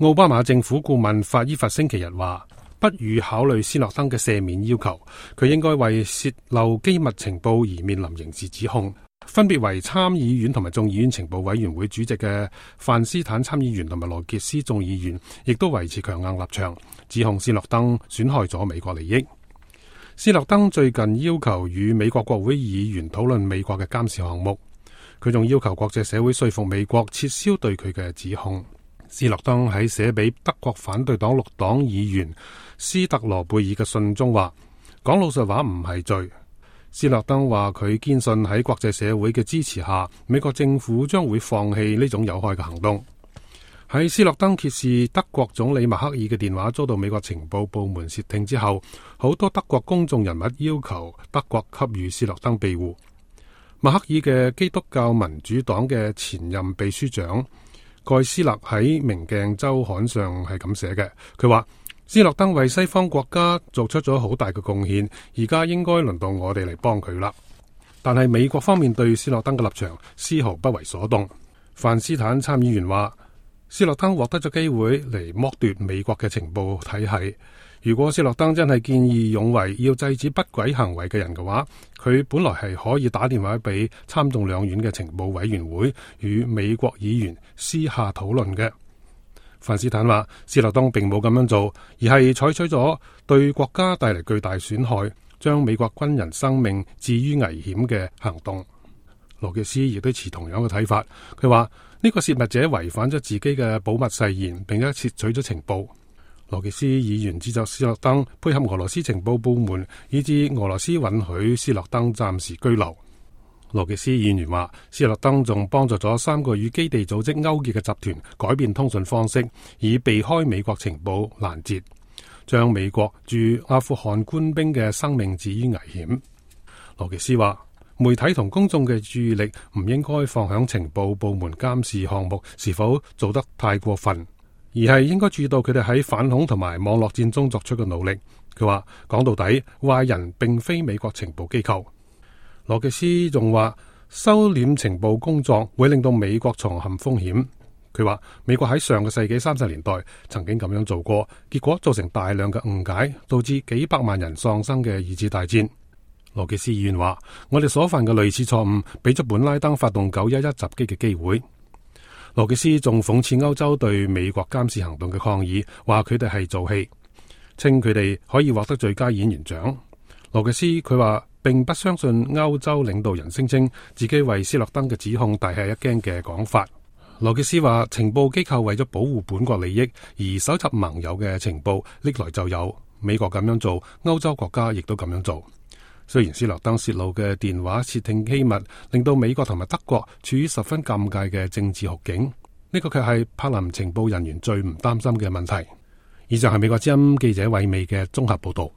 奧巴馬政府顧問法伊法星期日話，不予考慮斯諾登嘅赦免要求，佢應該為洩漏機密情報而面臨刑事指控。分別為參議院同埋眾議院情報委員會主席嘅范斯坦參議員同埋羅傑斯眾議員亦都維持強硬立場，指控斯諾登損害咗美國利益。斯諾登最近要求與美國國會議員討論美國嘅監視項目，佢仲要求國際社會說服美國撤銷對佢嘅指控。斯諾登喺寫俾德國反對黨綠黨議員斯特羅貝爾嘅信中話，講老實話唔係罪。斯諾登話佢堅信喺國際社會嘅支持下，美國政府將會放棄呢種有害嘅行動。喺斯諾登揭示德國總理默克爾嘅電話遭到美國情報部門竊聽之後，好多德國公眾人物要求德國給予斯諾登庇護。默克爾嘅基督教民主黨嘅前任秘書長蓋斯勒喺《明鏡週刊》上係咁寫嘅，佢話斯諾登為西方國家做出咗好大嘅貢獻，而家應該輪到我哋嚟幫佢啦。但係美國方面對斯諾登嘅立場絲毫不為所動。范斯坦參議員話，斯諾登獲得咗機會嚟剝奪美國嘅情報體系。如果斯諾登真係見義勇為要制止不軌行為嘅人嘅話，佢本來係可以打電話俾參眾兩院嘅情報委員會與美國議員私下討論嘅。范斯坦話，斯諾登並冇咁樣做，而係採取咗對國家帶嚟巨大損害，將美國軍人生命置於危險嘅行動。羅傑斯亦都持同樣嘅睇法，佢話呢個泄密者違反咗自己嘅保密誓言，並且竊取咗情報。羅傑斯議員指責斯諾登配合俄羅斯情報部門，以致俄羅斯允許斯諾登暫時居留。羅傑斯議員話，斯諾登仲幫助咗3個與基地組織勾結嘅集團改變通訊方式，以避開美國情報攔截，將美國駐阿富汗官兵嘅生命置於危險。羅傑斯話，媒體同公眾嘅注意力唔應該放響情報部門監視項目是否做得太過分，而係應該注意到佢哋喺反恐同埋網絡戰中作出嘅努力。佢話，講到底，壞人並非美國情報機構。羅傑斯仲話，收斂情報工作會令到美國重陷風險。佢話，美國喺上個世紀30年代曾經咁樣做過，結果造成大量嘅誤解，導致幾百萬人喪生嘅二次大戰。羅傑斯議員話，我哋所犯嘅類似錯誤，俾咗本拉登發動911襲擊嘅機會。羅傑斯仲諷刺歐洲對美國監視行動嘅抗議，話佢哋係做戲，稱佢哋可以獲得最佳演員獎。羅傑斯佢話，並不相信歐洲領導人聲稱自己為斯諾登嘅指控大吃一驚嘅講法。羅傑斯話，情報機構為咗保護本國利益而搜集盟友嘅情報歷來就有，美國咁樣做，歐洲國家亦都咁樣做。雖然斯諾登泄露嘅電話竊聽機密令到美國同埋德國處於十分尷尬嘅政治酷境，呢個卻係柏林情報人員最唔擔心嘅問題。以上係美國之音記者韋美嘅綜合報道。